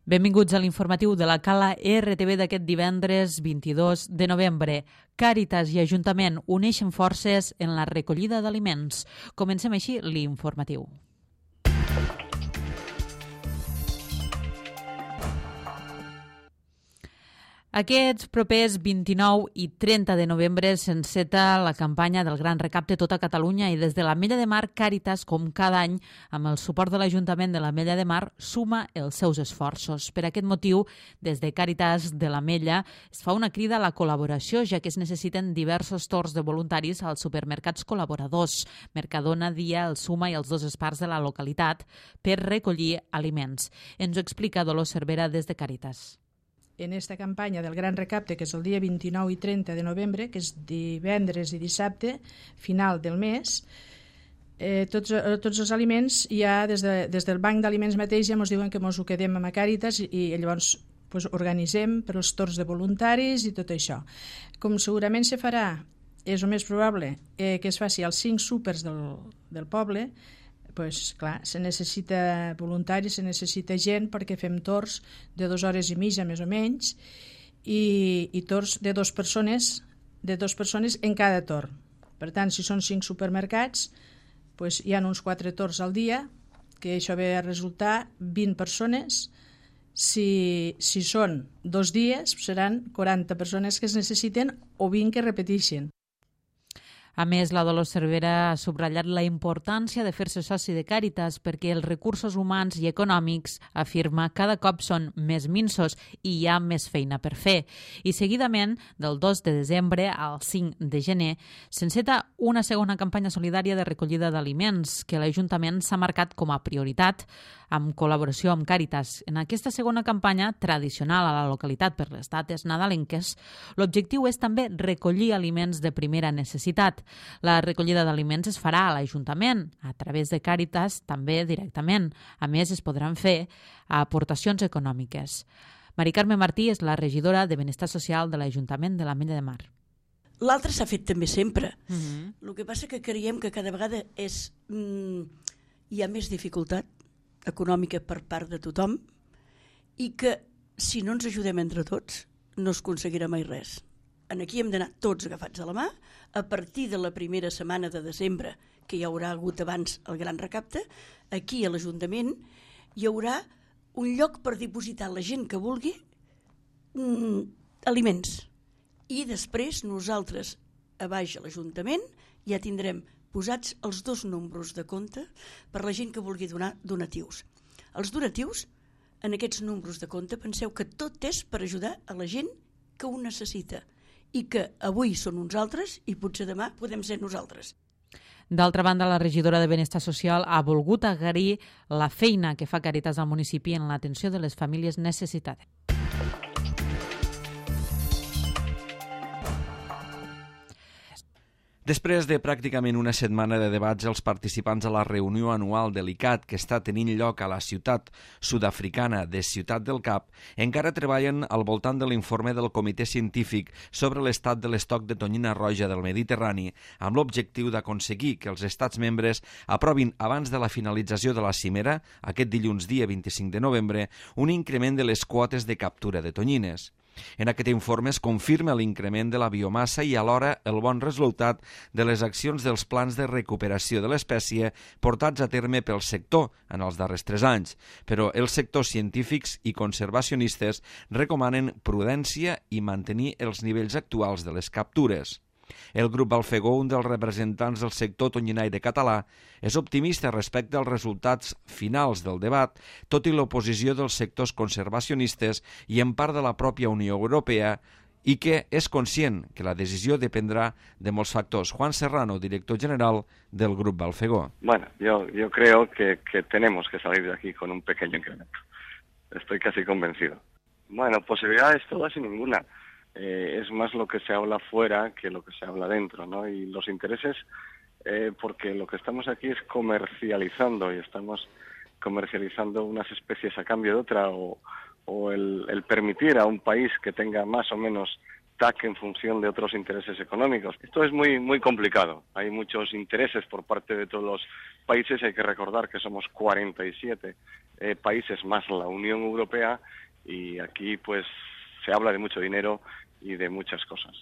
Benvinguts a l'informatiu de la Cala RTV d'aquest divendres 22 de novembre. Càritas i Ajuntament uneixen forces en la recollida d'aliments. Comencem així l'informatiu. Aquests propers 29 i 30 de novembre s'enceta la campanya del Gran Recapte Tota Catalunya i des de l'Ametlla de Mar, Càritas, com cada any, amb el suport de l'Ajuntament de l'Ametlla de Mar, suma els seus esforços. Per aquest motiu, des de Càritas de l'Ametlla es fa una crida a la col·laboració, ja que es necessiten diversos torns de voluntaris als supermercats col·laboradors, Mercadona, Dia, el Suma i els dos espars de la localitat, per recollir aliments. Ens ho explica Dolors Cervera des de Càritas. En esta campanya del Gran Recapte, que és el dia 29 i 30 de novembre, que és divendres i dissabte, final del mes, tots els aliments ja des del banc d'aliments mateix ja ens diuen que ens ho quedem amb a Càritas i llavors organitzem per als torns de voluntaris i tot això. Com segurament se farà, és el més probable que es faci als 5 súpers del poble, clar, se necessita voluntaris, se necessita gent perquè fem torns de 2 hores i mitja més o menys i torns de 2 persones en cada torn. Per tant, si són 5 supermercats, hi ha uns 4 torns al dia, que això ve a resultar 20 persones. Si són 2 dies, seran 40 persones que es necessiten o 20 que repeteixen. A més, la Dolors Cervera ha subratllat la importància de fer-se soci de Càritas perquè els recursos humans i econòmics, afirma, cada cop són més minsos i hi ha més feina per fer. I seguidament, del 2 de desembre al 5 de gener, s'enceta una segona campanya solidària de recollida d'aliments que l'Ajuntament s'ha marcat com a prioritat amb col·laboració amb Càritas. En aquesta segona campanya, tradicional a la localitat per les dates nadalenques, l'objectiu és també recollir aliments de primera necessitat. La recollida d'aliments es farà a l'Ajuntament, a través de Càritas, també directament. A més, es podran fer aportacions econòmiques. Mari Carme Martí és la regidora de Benestar Social de l'Ajuntament de l'Ametlla de Mar. L'altre s'ha fet també sempre. El que passa que creiem que cada vegada hi ha més dificultat econòmica per part de tothom i que si no ens ajudem entre tots no es aconseguirà mai res. Aquí hem d'anar tots agafats a la mà. A partir de la primera setmana de desembre, que hi haurà hagut abans el Gran Recapte, aquí a l'Ajuntament hi haurà un lloc per dipositar la gent que vulgui aliments. I després nosaltres, a baix a l'Ajuntament, ja tindrem posats els 2 números de compte per la gent que vulgui donar donatius. Els donatius, en aquests números de compte, penseu que tot és per ajudar a la gent que ho necessita i que avui són uns altres i potser demà podem ser nosaltres. D'altra banda, la regidora de Benestar Social ha volgut agrair la feina que fa Càritas al municipi en l'atenció de les famílies necessitades. Després de pràcticament una setmana de debats, els participants a la reunió anual de l'ICAT que està tenint lloc a la ciutat sud-africana de Ciutat del Cap encara treballen al voltant de l'informe del Comitè Científic sobre l'estat de l'estoc de tonyina roja del Mediterrani amb l'objectiu d'aconseguir que els estats membres aprovin abans de la finalització de la cimera, aquest dilluns dia 25 de novembre, un increment de les quotes de captura de tonyines. En aquest informe es confirma l'increment de la biomassa i alhora el bon resultat de les accions dels plans de recuperació de l'espècie portats a terme pel sector en els darrers 3 anys, però els sectors científics i conservacionistes recomanen prudència i mantenir els nivells actuals de les captures. El grup Balfegó, un dels representants del sector tonyinaire català, és optimista respecte als resultats finals del debat, tot i l'oposició dels sectors conservacionistes i en part de la pròpia Unió Europea, i que és conscient que la decisió dependrá de molts factors. Juan Serrano, director general del grup Balfegó. Bueno, yo creo que tenemos que salir de aquí con un pequeño incremento. Estoy casi convencido. Bueno, posibilidades todas y ninguna. Es más lo que se habla fuera que lo que se habla dentro, ¿no? Y los intereses, porque lo que estamos aquí es comercializando y estamos comercializando unas especies a cambio de otra o el permitir a un país que tenga más o menos TAC en función de otros intereses económicos. Esto es muy, muy complicado. Hay muchos intereses por parte de todos los países. Hay que recordar que somos 47 países más la Unión Europea y aquí pues se habla de mucho dinero i de muchas coses.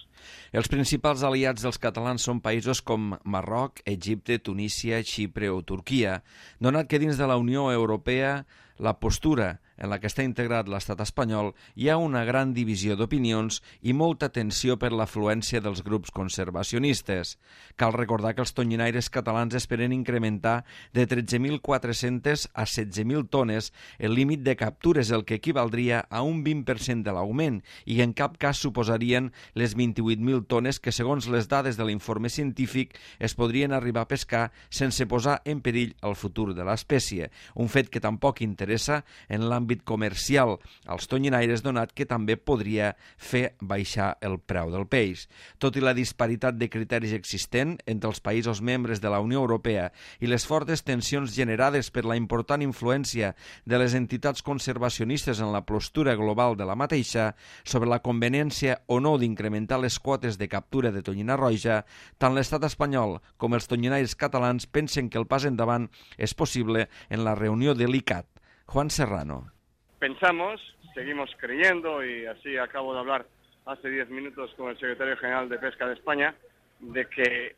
Els principals aliats dels catalans són països com Marroc, Egipte, Tunísia, Xipre o Turquia, donat que dins de la Unió Europea la postura en la que està integrat l'estat espanyol hi ha una gran divisió d'opinions i molta tensió per l'afluència dels grups conservacionistes. Cal recordar que els tonyinaires catalans esperen incrementar de 13.400 a 16.000 tones el límit de captures, el que equivaldria a un 20% de l'augment i en cap cas suposarien les 28.000 tones que, segons les dades de l'informe científic, es podrien arribar a pescar sense posar en perill el futur de l'espècie, un fet que tampoc interessa en l'àmbit comercial als tonyinaires, donat que també podria fer baixar el preu del peix. Tot i la disparitat de criteris existent entre els països membres de la Unió Europea i les fortes tensions generades per la important influència de les entitats conservacionistes en la postura global de la mateixa sobre la conveniència o no d'incrementar les quotes de captura de tonyina roja, tant l'estat espanyol com els tonyinaires catalans pensen que el pas endavant és possible en la reunió de l'ICCAT. Juan Serrano. Pensamos, seguimos creyendo, y así acabo de hablar hace 10 minutos con el secretario general de Pesca de España, de que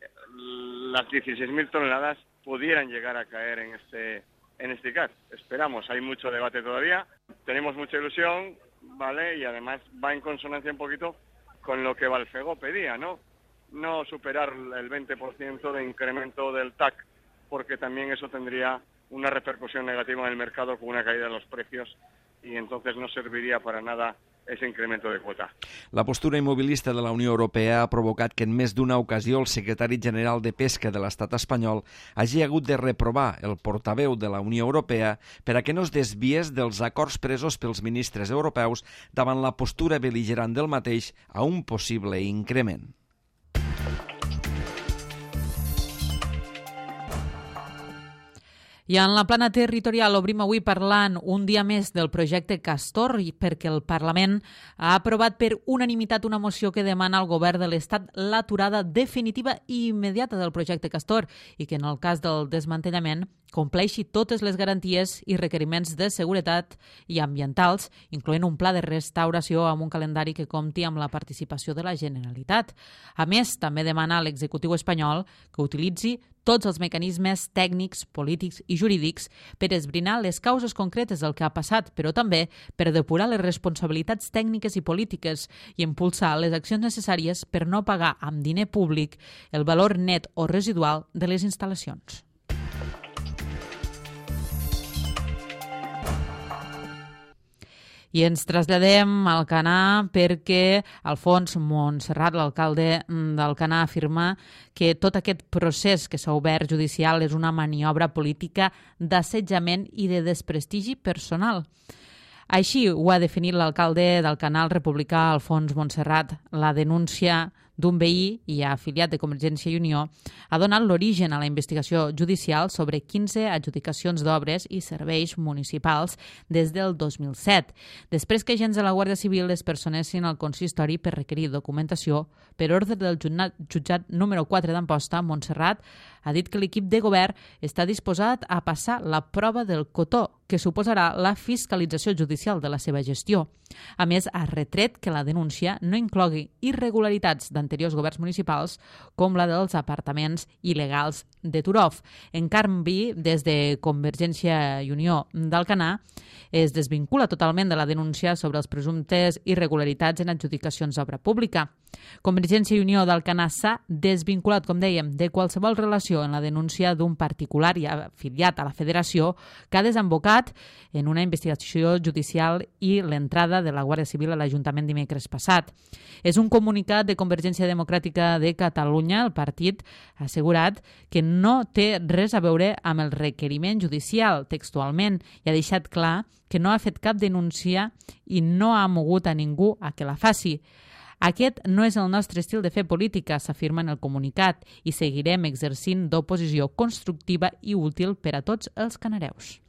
las 16.000 toneladas pudieran llegar a caer en este ICCAT. Esperamos, hay mucho debate todavía, tenemos mucha ilusión, ¿vale? Y además va en consonancia un poquito con lo que Balfegó pedía, ¿no? No superar el 20% de incremento del TAC, porque también eso tendría una repercusión negativa en el mercado con una caída de los precios y entonces no serviría para nada ese incremento de cuota. La postura immobilista de la Unió Europea ha provocat que en més d'una ocasió el secretari general de Pesca de l'estat espanyol hagi hagut de reprovar el portaveu de la Unió Europea per a que no es desviés dels acords presos pels ministres europeus davant la postura bel·ligerant del mateix a un possible increment. I en la plana territorial obrim avui parlant un dia més del projecte Castor perquè el Parlament ha aprovat per unanimitat una moció que demana al govern de l'Estat l'aturada definitiva i immediata del projecte Castor i que en el cas del desmantellament compleixi totes les garanties i requeriments de seguretat i ambientals, incloent un pla de restauració amb un calendari que compti amb la participació de la Generalitat. A més, també demana a l'executiu espanyol que utilitzi tots els mecanismes tècnics, polítics i jurídics per esbrinar les causes concretes del que ha passat, però també per depurar les responsabilitats tècniques i polítiques i impulsar les accions necessàries per no pagar amb diner públic el valor net o residual de les instal·lacions. I ens traslladem al Canà perquè Alfons Montserrat, l'alcalde d'Alcanar, afirma que tot aquest procés que s'ha obert judicial és una maniobra política d'assetjament i de desprestigi personal. Així ho ha definit l'alcalde d'Alcanar, el republicà Alfons Montserrat. La denúncia d'un veí i afiliat de Convergència i Unió ha donat l'origen a la investigació judicial sobre 15 adjudicacions d'obres i serveis municipals des del 2007, després que agents de la Guàrdia Civil es personessin al consistori per requerir documentació per ordre del jutjat número 4 d'Amposta. Montserrat ha dit que l'equip de govern està disposat a passar la prova del cotó, que suposarà la fiscalització judicial de la seva gestió. A més, ha retret que la denúncia no inclogui irregularitats d'anteriors governs municipals com la dels apartaments il·legals de Turov. En canvi, des de Convergència i Unió d'Alcanar es desvincula totalment de la denúncia sobre els presumptes irregularitats en adjudicacions d'obra pública. Convergència i Unió d'Alcanar s'ha desvinculat, com dèiem, de qualsevol relació en la denúncia d'un particular i afiliat a la federació que ha desembocat en una investigació judicial i l'entrada de la Guàrdia Civil a l'Ajuntament dimecres passat. És un comunicat de Convergència Democràtica de Catalunya. El partit ha assegurat que no té res a veure amb el requeriment judicial textualment i ha deixat clar que no ha fet cap denúncia i no ha mogut a ningú a que la faci. Aquest no és el nostre estil de fer política, s'afirma en el comunicat, i seguirem exercint d'oposició constructiva i útil per a tots els canareus.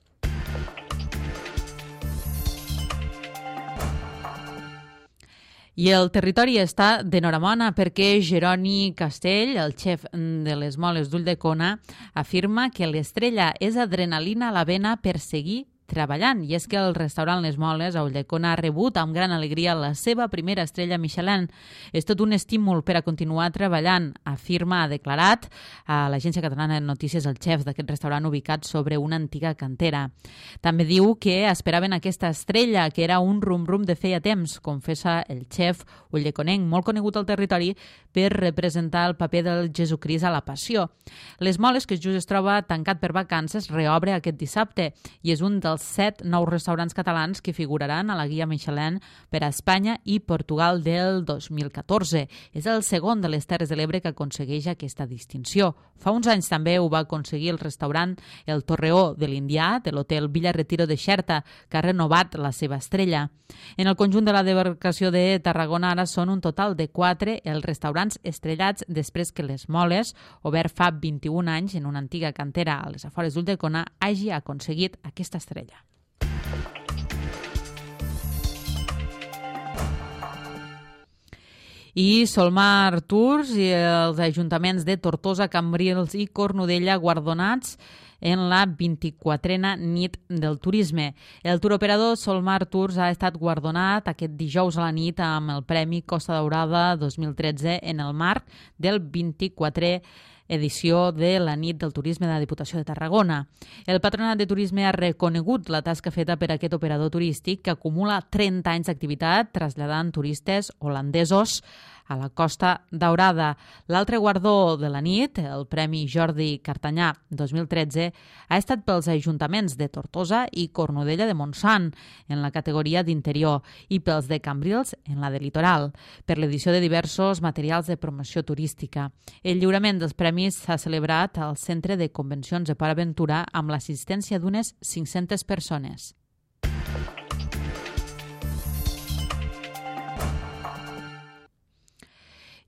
I el territori està d'enhorabona perquè Jeroni Castell, el xef de les moles d'Ulldecona, afirma que l'estrella és adrenalina a la vena per seguir treballant. I és que el restaurant Les Moles a Ulldecona ha rebut amb gran alegria la seva primera estrella Michelin. És tot un estímul per a continuar treballant, afirma, ha declarat a l'Agència Catalana de Notícies el xef d'aquest restaurant ubicat sobre una antiga cantera. També diu que esperaven aquesta estrella, que era un rum-rum de feia temps, confessa el xef ulldeconenc, molt conegut al territori per representar el paper del Jesucrist a la Passió. Les Moles, que just es troba tancat per vacances, reobre aquest dissabte i és un dels 7 nous restaurants catalans que figuraran a la guia Michelin per a Espanya i Portugal del 2014. És el segon de les Terres de l'Ebre que aconsegueix aquesta distinció. Fa uns anys també ho va aconseguir el restaurant El Torreó de l'Indià, de l'hotel Villa Retiro de Xerta, que ha renovat la seva estrella. En el conjunt de la demarcació de Tarragona ara són un total de 4 els restaurants estrellats després que Les Moles, obert fa 21 anys en una antiga cantera a les afores d'Ulldecona, hagi aconseguit aquesta estrella. I Solmar Tours i els ajuntaments de Tortosa, Cambrils i Cornudella guardonats en la 24a nit del turisme. El turoperador Solmar Tours ha estat guardonat aquest dijous a la nit amb el Premi Costa Daurada 2013 en el marc del 24è edició de la nit del turisme de la Diputació de Tarragona. El Patronat de Turisme ha reconegut la tasca feta per aquest operador turístic que acumula 30 anys d'activitat traslladant turistes holandesos a la Costa Daurada. L'altre guardó de la nit, el Premi Jordi Cartanyà 2013, ha estat pels ajuntaments de Tortosa i Cornudella de Montsant en la categoria d'interior i pels de Cambrils en la de litoral, per l'edició de diversos materials de promoció turística. El lliurament dels premis s'ha celebrat al Centre de Convencions de Port Aventura amb l'assistència d'unes 500 persones.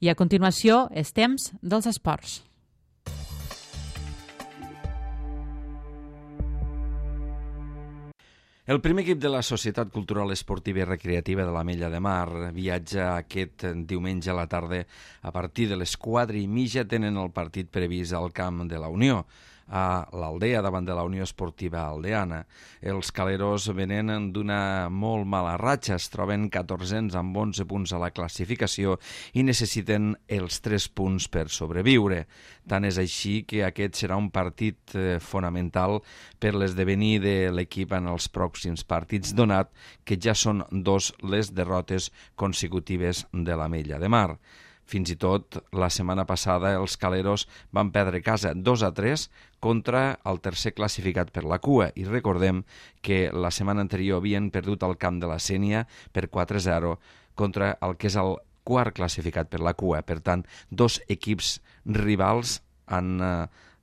I a continuació, és temps dels esports. El primer equip de la Societat Cultural Esportiva i Recreativa de l'Ametlla de Mar viatja aquest diumenge a la tarda. A partir de les 4:30 tenen el partit previst al camp de la Unió, a l'Aldea, davant de la Unió Esportiva Aldeana. Els caleros venen d'una molt mala ratxa, es troben 14ens amb 11 punts a la classificació i necessiten els 3 punts per sobreviure. Tant és així que aquest serà un partit fonamental per l'esdevenir de l'equip en els pròxims partits, donat que ja són 2 les derrotes consecutives de l'Ametlla de Mar. Fins i tot la setmana passada els caleros van perdre casa 2-3 contra el tercer classificat per la cua i recordem que la setmana anterior havien perdut al camp de la Sénia per 4-0 contra el que és el quart classificat per la cua. Per tant, 2 equips rivals en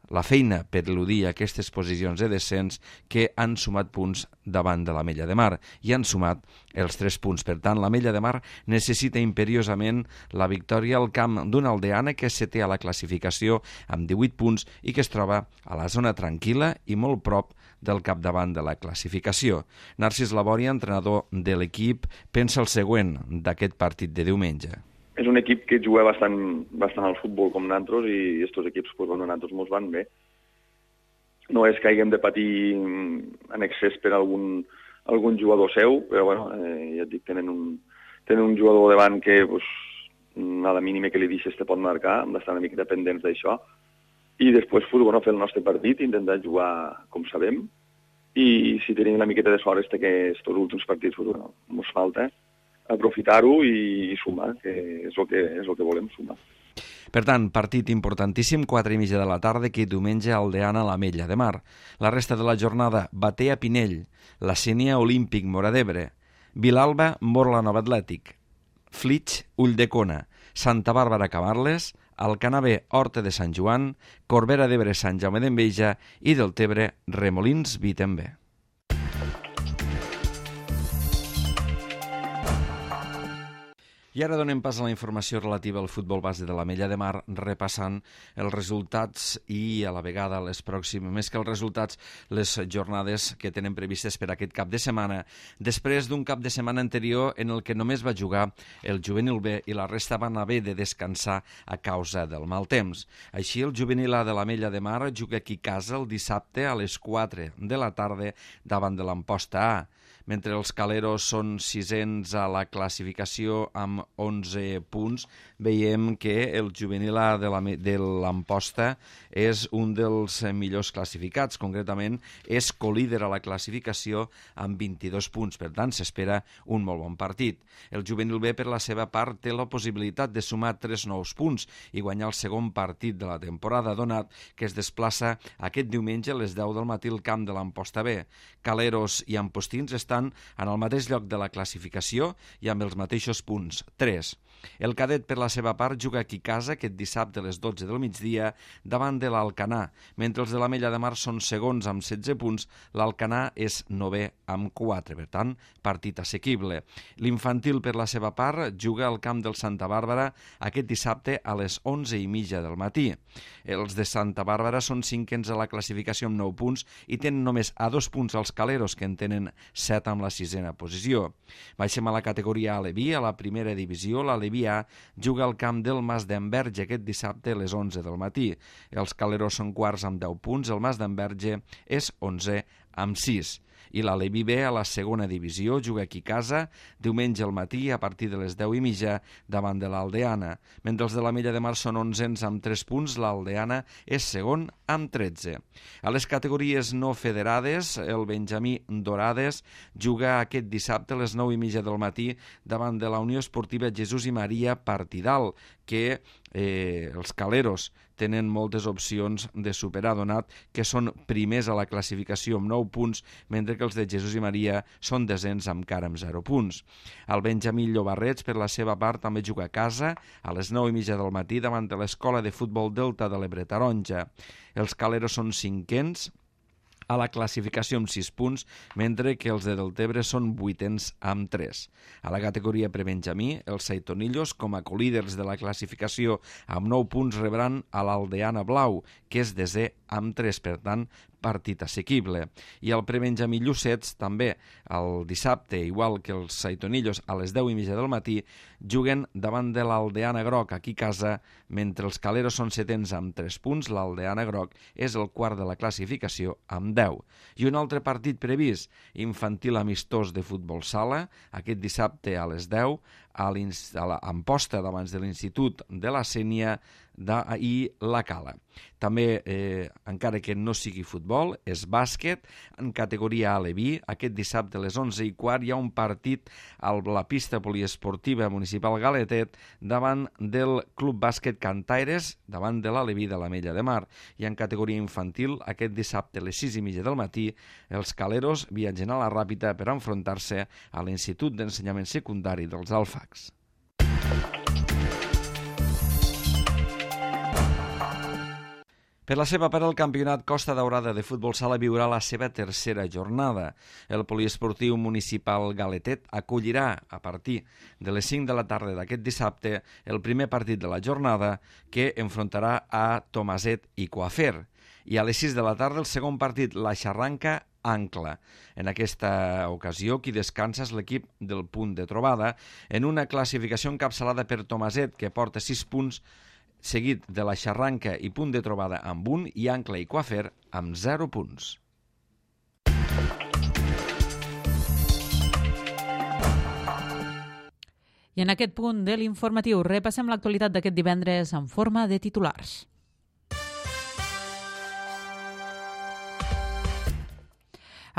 la feina per eludir aquestes posicions de descens que han sumat punts davant de l'Ametlla de Mar i han sumat els 3 punts. Per tant, l'Ametlla de Mar necessita imperiosament la victòria al camp d'una aldeana que se té a la classificació amb 18 punts i que es troba a la zona tranquil·la i molt prop del capdavant de la classificació. Narcís Labòria, entrenador de l'equip, pensa el següent d'aquest partit de diumenge. És un equip que juga bastant al futbol com nosaltres i aquests equips, doncs, nosaltres ens van bé. No és que haguem de patir en excés per algun jugador seu, però bueno, ja et dic, tenen un jugador davant que doncs, a la mínima que li deixes te pot marcar, hem d'estar una mica dependents d'això, i després fer el nostre partit, intentar jugar com sabem, i si tenim una miqueta de sort que aquests últims partits ens falta, aprofitar-ho i sumar, que és el que volem, sumar. Per tant, partit importantíssim, 4:30 de la tarda, que diumenge Aldeana a l'Ametlla de Mar. La resta de la jornada, Batea Pinell, la Sénia Olímpic Móra d'Ebre, Vilalba Morla Nova Atlètic, Flix Ulldecona, Santa Bàrbara Camarles, Alcanavè Horta de Sant Joan, Corbera d'Ebre Sant Jaume d'Enveja i Deltebre Remolins Vitembé. I ara donem pas a la informació relativa al futbol base de l'Ametlla de Mar, repassant els resultats i a la vegada les pròximes, més que els resultats, les jornades que tenen previstes per aquest cap de setmana, després d'un cap de setmana anterior en el que només va jugar el juvenil B i la resta van haver de descansar a causa del mal temps. Així, el juvenil A de l'Ametlla de Mar juga aquí a casa el dissabte a les 4 de la tarda davant de l'Amposta A. Mentre els Caleros són sisens a la classificació amb 11 punts, veiem que el juvenil A de l'Amposta és un dels millors classificats. Concretament, és colíder a la classificació amb 22 punts. Per tant, s'espera un molt bon partit. El juvenil B, per la seva part, té la possibilitat de sumar 3 nous punts i guanyar el segon partit de la temporada, donat que es desplaça aquest diumenge a les 10 del matí al camp de l'Amposta B. Caleros i Ampostins estan en el mateix lloc de la classificació i amb els mateixos punts, 3. El cadet, per la seva part, juga aquí a casa aquest dissabte a les 12 del migdia davant de l'Alcanar. Mentre els de l'Ametlla de Mar són segons amb 16 punts, l'Alcanar és 9è amb 4, per tant, partit assequible. L'infantil, per la seva part, juga al camp del Santa Bàrbara aquest dissabte a les 11:30 del matí. Els de Santa Bàrbara són cinquens a la classificació amb 9 punts i tenen només a 2 punts els Caleros, que en tenen 7 amb la 6a posició. Baixem a la categoria Aleví, a la primera divisió. L'Aleví A juga al camp del Mas d'Enverge aquest dissabte a les 11 del matí. Els Caleros són quarts amb 10 punts, el Mas d'Enverge és 11è amb 6. I l'Aleví B, a la segona divisió, juga aquí a casa diumenge al matí a partir de les 10:30 davant de l'Aldeana. Mentre els de l'Ametlla de Mar són 11ens amb 3 punts, l'Aldeana és segon amb 13. A les categories no federades, el Benjamí Dorades juga aquest dissabte a les 9:30 del matí davant de la Unió Esportiva Jesús i Maria Partidal, que els Caleros tenen moltes opcions de superar, donat que són primers a la classificació amb 9 punts, mentre que els de Jesús i Maria són desens encara amb 0 punts. El Benjamí Llobarrets, per la seva part, també juga a casa a les 9:30 del matí davant de l'Escola de Futbol Delta de l'Ebre Taronja. Els Caleros són cinquens a la classificació amb 6 punts, mentre que els de Deltebre són 8ens amb 3. A la categoria prebenjamí, els Saitonillos, com a colíders de la classificació amb 9 punts, rebran a l'Aldeana Blau, que és desè amb 3, per tant, partit assequible. I el prebenjamí Llucets, també el dissabte, igual que els Saitonillos, a les 10:30 del matí, juguen davant de l'Aldeana Groc, aquí a casa, mentre els Caleros són setens amb 3 punts, l'Aldeana Groc és el quart de la classificació amb 10. I un altre partit previst, infantil amistós de futbol sala, aquest dissabte a les 10, a l'Amposta davant de l'Institut de la Sénia i la Cala. També, encara que no sigui futbol, és bàsquet, en categoria Aleví. Aquest dissabte a les 11:15 hi ha un partit a la pista poliesportiva municipal Galetet davant del Club Bàsquet Cantaires, davant de l'Aleví de l'Ametlla de Mar. I en categoria infantil, aquest dissabte a les 6:30 del matí, els Caleros viatgen a la Ràpita per enfrontar-se a l'Institut d'Ensenyament Secundari dels Alfacs. Per la seva part, el campionat Costa Daurada de futbol sala viurà la seva tercera jornada. El poliesportiu municipal Galetet acollirà a partir de les 5 de la tarda d'aquest dissabte el primer partit de la jornada, que enfrontarà a Tomaset i Coafer. I a les 6 de la tarda el segon partit, la Xarranca Ancla. En aquesta ocasió, qui descansa és l'equip del Punt de Trobada, en una classificació encapçalada per Tomaset, que porta 6 punts, seguit de la Xarranca i Punt de Trobada amb 1 i Ancla i Coafer amb 0 punts. I en aquest punt de l'informatiu repassem l'actualitat d'aquest divendres en forma de titulars.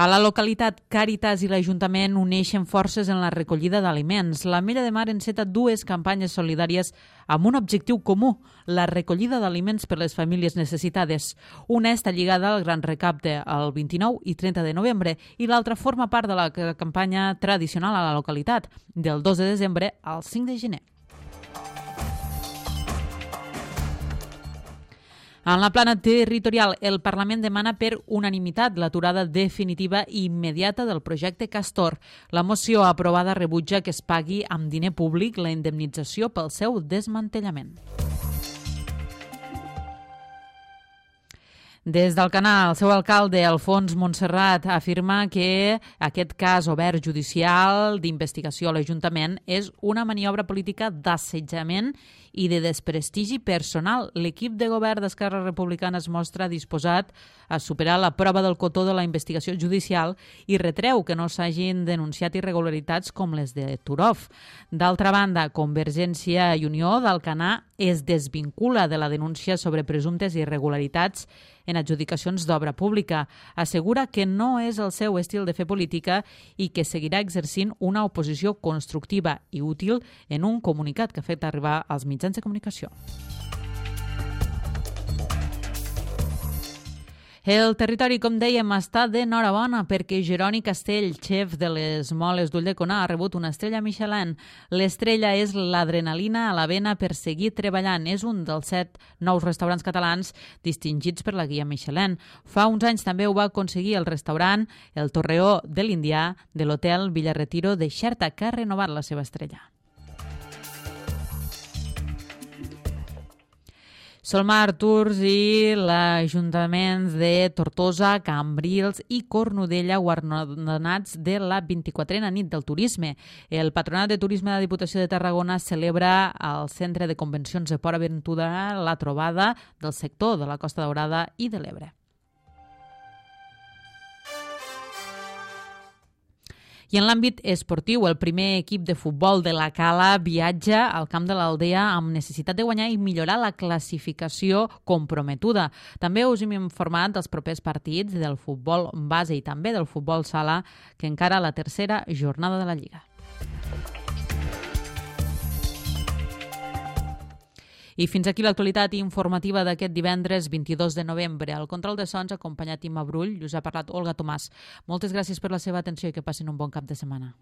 A la localitat, Càritas i l'Ajuntament uneixen forces en la recollida d'aliments. L'Ametlla de Mar enceta 2 campanyes solidàries amb un objectiu comú, la recollida d'aliments per les famílies necessitades. Una està lligada al gran recapte el 29 i 30 de novembre i l'altra forma part de la campanya tradicional a la localitat, del 2 de desembre al 5 de gener. En la plana territorial, el Parlament demana per unanimitat l'aturada definitiva i immediata del projecte Castor. La moció aprovada rebutja que es pagui amb diner públic la indemnització pel seu desmantellament. Des d'Alcanar, el seu alcalde, Alfons Montserrat, afirma que aquest cas obert judicial d'investigació a l'Ajuntament és una maniobra política d'assetjament i de desprestigi personal. L'equip de govern d'Esquerra Republicana es mostra disposat a superar la prova del cotó de la investigació judicial i retreu que no s'hagin denunciat irregularitats com les de Turov. D'altra banda, Convergència i Unió d'Alcanar es desvincula de la denúncia sobre presumptes irregularitats en adjudicacions d'obra pública. Assegura que no és el seu estil de fer política i que seguirà exercint una oposició constructiva i útil en un comunicat que ha fet arribar als mitjans de comunicació. El territori, com dèiem, està d'enhorabona perquè Jeroni Castell, xef de les moles d'Ulldecona, ha rebut una estrella Michelin. L'estrella és l'adrenalina a la vena per seguir treballant. És un dels 7 nous restaurants catalans distingits per la guia Michelin. Fa uns anys també ho va aconseguir el restaurant El Torreó de l'Indià de l'hotel Villarretiro de Xerta, que ha renovat la seva estrella. Solmar Tours i l'Ajuntament de Tortosa, Cambrils i Cornudella guardonats de la 24a nit del turisme. El Patronat de Turisme de la Diputació de Tarragona celebra al Centre de Convencions de Port Aventura la trobada del sector de la Costa Daurada i de l'Ebre. I en l'àmbit esportiu, el primer equip de futbol de la Cala viatja al camp de l'Aldea amb necessitat de guanyar i millorar la classificació comprometuda. També us hem informat dels propers partits del futbol base i també del futbol sala, que encara la tercera jornada de la Lliga. I fins aquí l'actualitat informativa d'aquest divendres 22 de novembre. Al control de sons, acompanyat Imma Brull, us ha parlat Olga Tomàs. Moltes gràcies per la seva atenció i que passin un bon cap de setmana.